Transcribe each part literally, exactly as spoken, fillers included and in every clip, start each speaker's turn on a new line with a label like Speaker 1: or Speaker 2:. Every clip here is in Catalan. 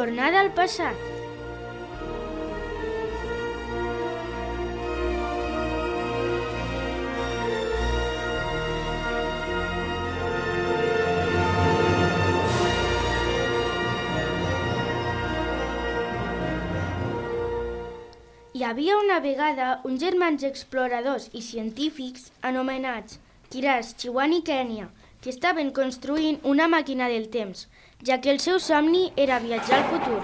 Speaker 1: tornada al passat. Hi havia una vegada uns germans exploradors i científics anomenats Kiraz, Chiwan i Kenya, que estaven construint una màquina del temps, ja que el seu somni era viatjar al futur.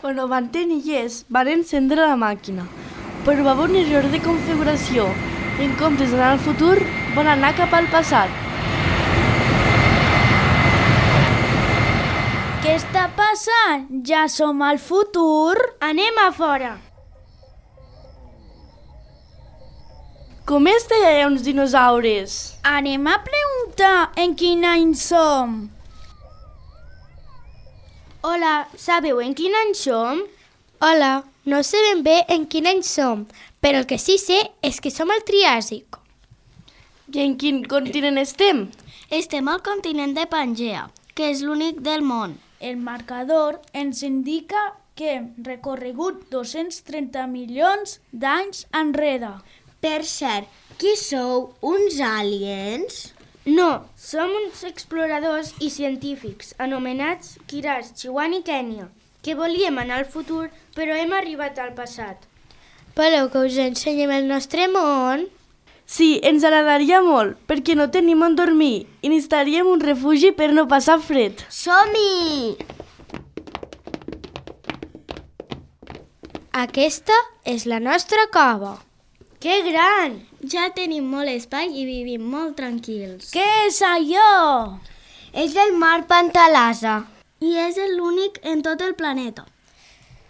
Speaker 2: Quan ho van tenir llest, van encendre la màquina, però va haver un error de configuració i en comptes d'anar al futur van anar cap al passat.
Speaker 3: Què està passant? Ja som al futur?
Speaker 1: Anem a fora!
Speaker 2: Com és que hi ha uns dinosaures?
Speaker 3: Anem a preguntar en quin any som.
Speaker 1: Hola, sabeu en quin any som?
Speaker 4: Hola, no sé ben bé en quin any som, però el que sí sé és que som al Triàsic.
Speaker 2: I en quin continent estem?
Speaker 5: Estem al continent de Pangea, que és l'únic del món.
Speaker 3: El marcador ens indica que hem recorregut dos-cents trenta milions d'anys enrere.
Speaker 5: Per cert, qui sou? Uns aliens?
Speaker 1: No, som uns exploradors i científics anomenats Kiraz, Chiwan i Kenya, que volíem anar al futur, però hem arribat al passat.
Speaker 4: Voleu que us ensenyem el nostre món?
Speaker 2: Sí, ens agradaria molt, perquè no tenim on dormir i necessitaríem un refugi per no passar fred.
Speaker 5: Som-hi!
Speaker 4: Aquesta és la nostra cova.
Speaker 1: Que gran!
Speaker 5: Ja tenim molt espai i vivim molt tranquils.
Speaker 3: Què és allò?
Speaker 5: És el mar Pantalasa i és l'únic en tot el planeta.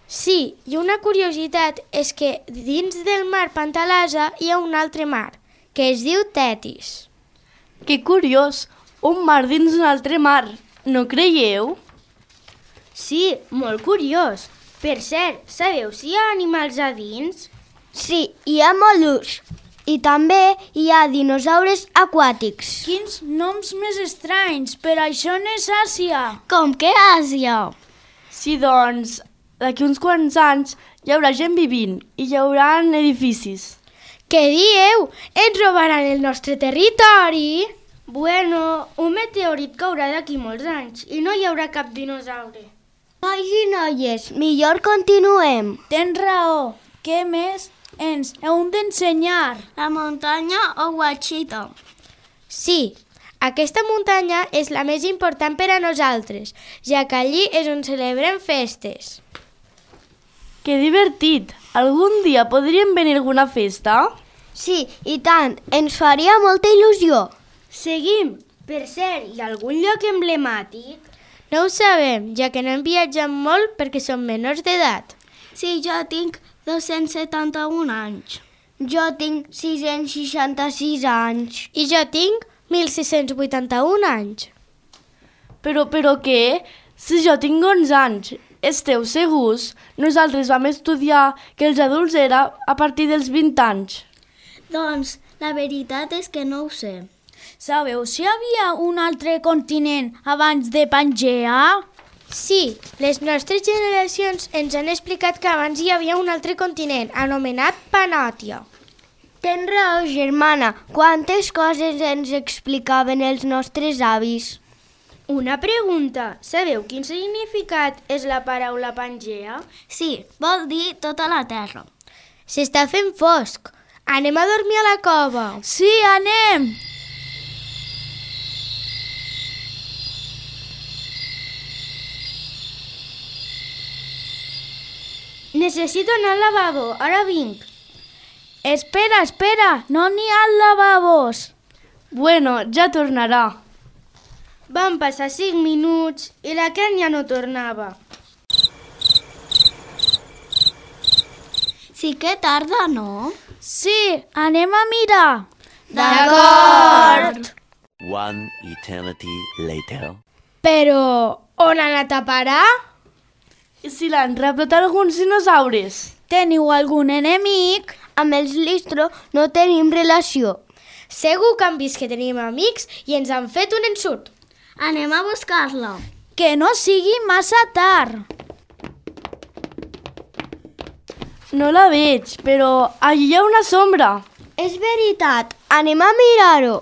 Speaker 4: Sí, i una curiositat és que dins del mar Pantalasa hi ha un altre mar, que es diu Tetis.
Speaker 2: Que curiós, un mar dins un altre mar, no creieu?
Speaker 1: Sí, molt curiós. Per cert, sabeu si hi ha animals a dins?
Speaker 5: Sí, hi ha mol·luscs i també hi ha dinosaures aquàtics.
Speaker 3: Quins noms més estranys, per això no és Àsia.
Speaker 5: Com que Àsia?
Speaker 2: Sí, doncs, d'aquí uns quants anys hi haurà gent vivint i hi haurà edificis.
Speaker 4: Què dieu? Ens robaran el nostre territori?
Speaker 1: Bueno, un meteorit caurà d'aquí molts anys i no hi haurà cap dinosaure.
Speaker 5: Nois i noies, millor continuem.
Speaker 3: Tens raó. Què més ens heu d'ensenyar?
Speaker 5: La muntanya Ouachita.
Speaker 4: Sí, aquesta muntanya és la més important per a nosaltres, ja que allí és on celebrem festes.
Speaker 2: Que divertit! Algun dia podríem venir a alguna festa?
Speaker 5: Sí, i tant, ens faria molta il·lusió.
Speaker 1: Seguim! Per cert, hi ha algun lloc emblemàtic?
Speaker 4: No ho sabem, ja que no hem viatjat molt perquè som menors d'edat.
Speaker 5: Sí, jo tinc dos-cents setanta-un anys. Jo tinc sis-cents seixanta-sis anys.
Speaker 4: I jo tinc mil sis-cents vuitanta-un anys.
Speaker 2: Però, però què? Si jo tinc onze anys, esteu segurs? Nosaltres vam estudiar que els adults era a partir dels vint anys.
Speaker 5: Doncs la veritat és que no ho sé.
Speaker 3: Sabeu si hi havia un altre continent abans de Pangea?
Speaker 4: Sí, les nostres generacions ens han explicat que abans hi havia un altre continent, anomenat Panòtia.
Speaker 5: Tens raó, germana. Quantes coses ens explicaven els nostres avis.
Speaker 1: Una pregunta. Sabeu quin significat és la paraula Pangea?
Speaker 5: Sí, vol dir tota la terra.
Speaker 4: S'està fent fosc. Anem a dormir a la cova.
Speaker 3: Sí, anem!
Speaker 1: Necessito anar al lavabo, ara vinc.
Speaker 3: Espera, espera, no n'hi ha lavabos.
Speaker 2: Bueno, ja tornarà.
Speaker 1: Van passar cinc minuts i la Kenya no tornava.
Speaker 5: Sí que tarda, no?
Speaker 3: Sí, anem a mirar.
Speaker 5: D'acord!
Speaker 6: One eternity later.
Speaker 4: Però on ha anat a parar?
Speaker 2: I si l'han raptat alguns dinosaures?
Speaker 3: Teniu algun enemic?
Speaker 5: Amb els Listro no tenim relació.
Speaker 4: Segur que han vist que tenim amics i ens han fet un ensurt.
Speaker 5: Anem a buscar-la.
Speaker 3: Que no sigui massa tard.
Speaker 2: No la veig, però allí hi ha una sombra.
Speaker 4: És veritat, anem a mirar-ho.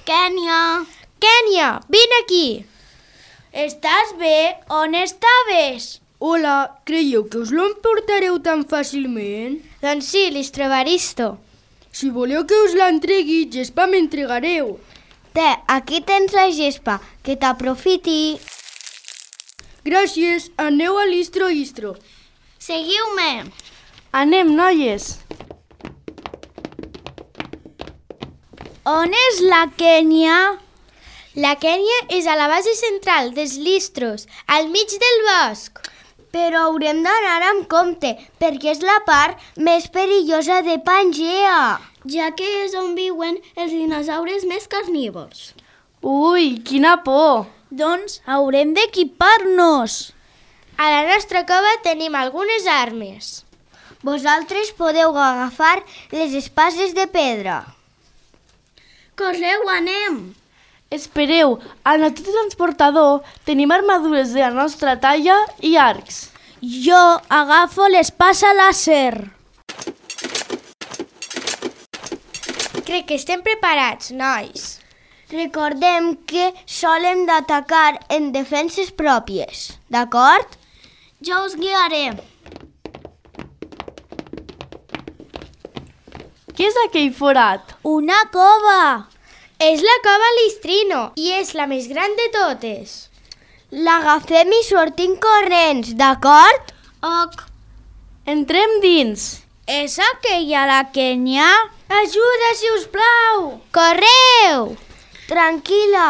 Speaker 5: Kènia!
Speaker 4: Kènia, vine aquí.
Speaker 3: Estàs bé? On estaves?
Speaker 1: Hola, creieu que us l'emportareu tan fàcilment?
Speaker 4: Doncs sí, l'Istrobaristo.
Speaker 1: Si voleu que us l'entregui, gespa m'entregareu.
Speaker 4: Té, aquí tens la gespa, que t'aprofiti.
Speaker 1: Gràcies, aneu a l'istro istro.
Speaker 5: Seguiu-me!
Speaker 2: Anem, noies.
Speaker 3: On és la Kènia?
Speaker 4: La Kènia és a la base central dels Listros, al mig del bosc. Però haurem d'anar amb compte, perquè és la part més perillosa de Pangea.
Speaker 5: Ja que és on viuen els dinosaures més carnívors.
Speaker 2: Ui, quina por.
Speaker 3: Doncs haurem d'equipar-nos.
Speaker 4: A la nostra cova tenim algunes armes. Vosaltres podeu agafar les espases de pedra.
Speaker 5: Correu, anem!
Speaker 2: Espereu, al nostre transportador tenim armadures de la nostra talla i arcs.
Speaker 3: Jo agafo l'espasa làser.
Speaker 4: Crec que estem preparats, nois. Recordem que solem d'atacar en defenses pròpies, d'acord?
Speaker 5: Jo us guiaré.
Speaker 2: Què és aquell forat?
Speaker 3: Una cova.
Speaker 4: És la cova Listrino i és la més gran de totes. L'agafem i sortim corrents, d'acord?
Speaker 5: Ok.
Speaker 2: Entrem dins.
Speaker 3: És aquella la Kènia?
Speaker 4: Ajuda, si us plau! Correu! Tranquil·la,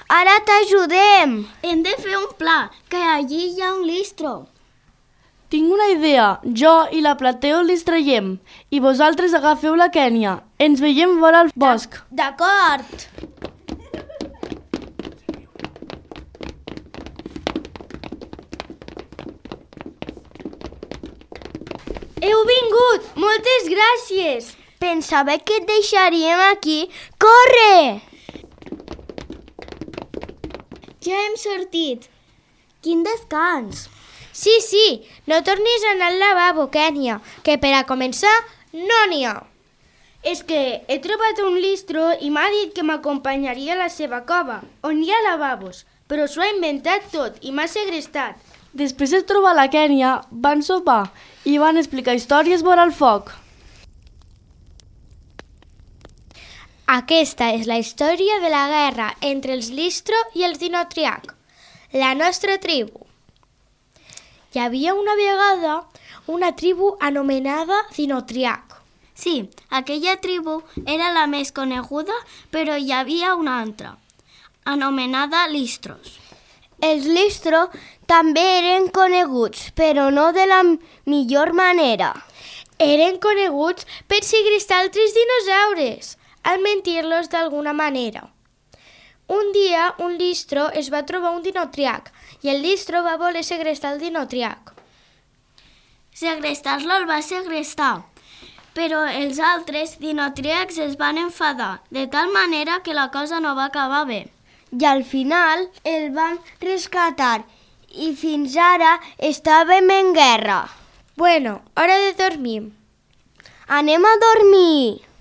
Speaker 4: ara t'ajudem.
Speaker 5: Hem de fer un pla, que allí hi ha un listro.
Speaker 2: Tinc una idea. Jo i la Plateo les traiem i vosaltres agafeu la Kènia. Ens veiem vora al bosc.
Speaker 3: D'acord.
Speaker 1: Heu vingut! Moltes gràcies!
Speaker 4: Pensava que et deixaríem aquí. Corre!
Speaker 5: Ja hem sortit. Quin descans!
Speaker 4: Sí, sí, no tornis a anar al lavabo, Kènia, que per a començar no n'hi ha.
Speaker 1: És que he trobat un listro i m'ha dit que m'acompanyaria a la seva cova, on hi ha lavabos, però s'ho ha inventat tot i m'ha segrestat.
Speaker 2: Després de trobar la Kènia, van sopar i van explicar històries vora el foc.
Speaker 4: Aquesta és la història de la guerra entre els Listro i els Dinotriac, la nostra tribu. Hi havia una vegada una tribu anomenada Dinotriac.
Speaker 5: Sí, aquella tribu era la més coneguda, però hi havia una altra, anomenada Listros.
Speaker 4: Els Listro també eren coneguts, però no de la millor manera. Eren coneguts per segrestar altres dinosaures, al mentir-los d'alguna manera. Un dia, un Listro es va trobar un Dinotriac i el Listro va voler segrestar el Dinotriac.
Speaker 5: Segrestar-lo el va segrestar, però els altres Dinotriacs es van enfadar, de tal manera que la cosa no va acabar bé.
Speaker 4: I al final el van rescatar i fins ara estàvem en guerra. Bueno, hora de dormir. Anem a dormir.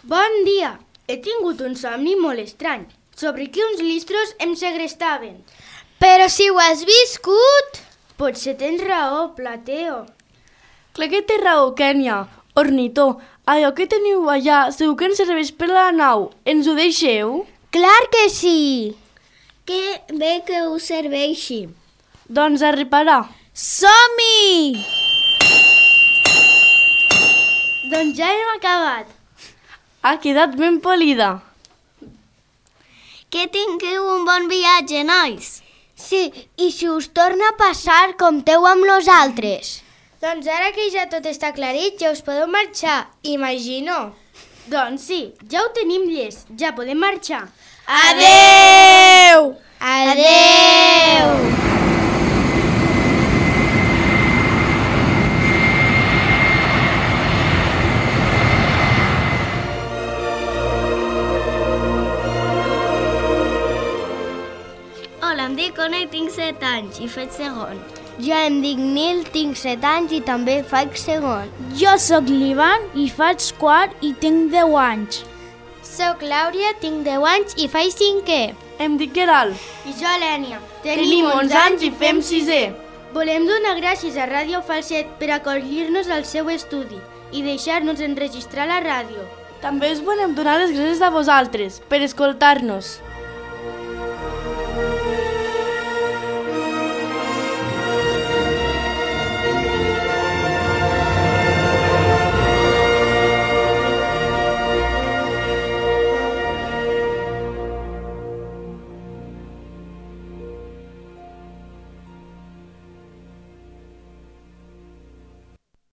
Speaker 1: Bon dia! He tingut un somni molt estrany, sobre que uns listros em segrestaven.
Speaker 4: Però si ho has viscut!
Speaker 1: Potser tens raó, Plateo.
Speaker 2: Clar que té raó, Kènia. Ornitó, allò que teniu allà segur que ens serveix per a la nau. Ens ho deixeu?
Speaker 4: Clar que sí!
Speaker 5: Que bé que us serveixi.
Speaker 2: Doncs a reparar.
Speaker 3: Som-hi!
Speaker 1: Doncs ja hem acabat.
Speaker 2: Ha quedat ben polida.
Speaker 5: Que tingueu un bon viatge, nois.
Speaker 4: Sí, i si us torna a passar, compteu amb nosaltres. Doncs ara que ja tot està aclarit, ja us podeu marxar, imagino.
Speaker 1: Doncs sí, ja ho tenim llest, ja podem marxar.
Speaker 4: Adeu! Adeu!
Speaker 5: Hola, em dic Ona i tinc set anys i faig segon.
Speaker 4: Jo em dic Nil, tinc set anys i també faig segon.
Speaker 3: Jo sóc l'Ivan i faig quart i tinc deu anys.
Speaker 4: Soc Làuria, tinc deu anys i faig cinquè.
Speaker 2: Em dic Geralt.
Speaker 1: I jo, Lènia.
Speaker 2: Tenim onze anys i fem sisè.
Speaker 1: Volem donar gràcies a Ràdio Falset per acollir-nos al seu estudi i deixar-nos enregistrar la ràdio.
Speaker 2: També us volem donar les gràcies a vosaltres per escoltar-nos.